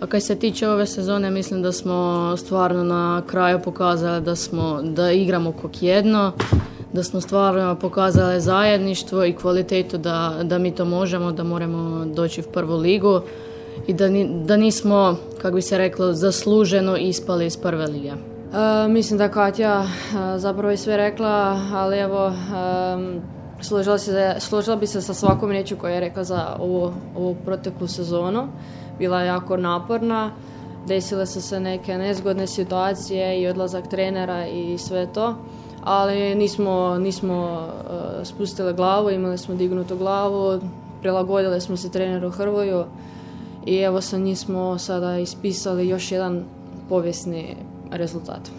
A kad se tiče ove sezone, mislim da smo stvarno na kraju pokazali da igramo kog jedno, da smo stvarno pokazali zajedništvo i kvalitetu da mi to možemo, da moramo doći u prvu ligu i da nismo, kako bi se reklo, zasluženo ispali iz prve lige. Mislim da Katja zapravo je sve rekla, ali evo, složila bi se sa svakom riječju koju je rekla za ovu proteklu sezonu. Bila je jako naporna, desile su se neke nezgodne situacije i odlazak trenera i sve to, ali nismo spustili glavu, imali smo dignutu glavu, prilagodili smo se treneru Hrvoju i evo sa njih smo sada ispisali još jedan povijesni rezultat.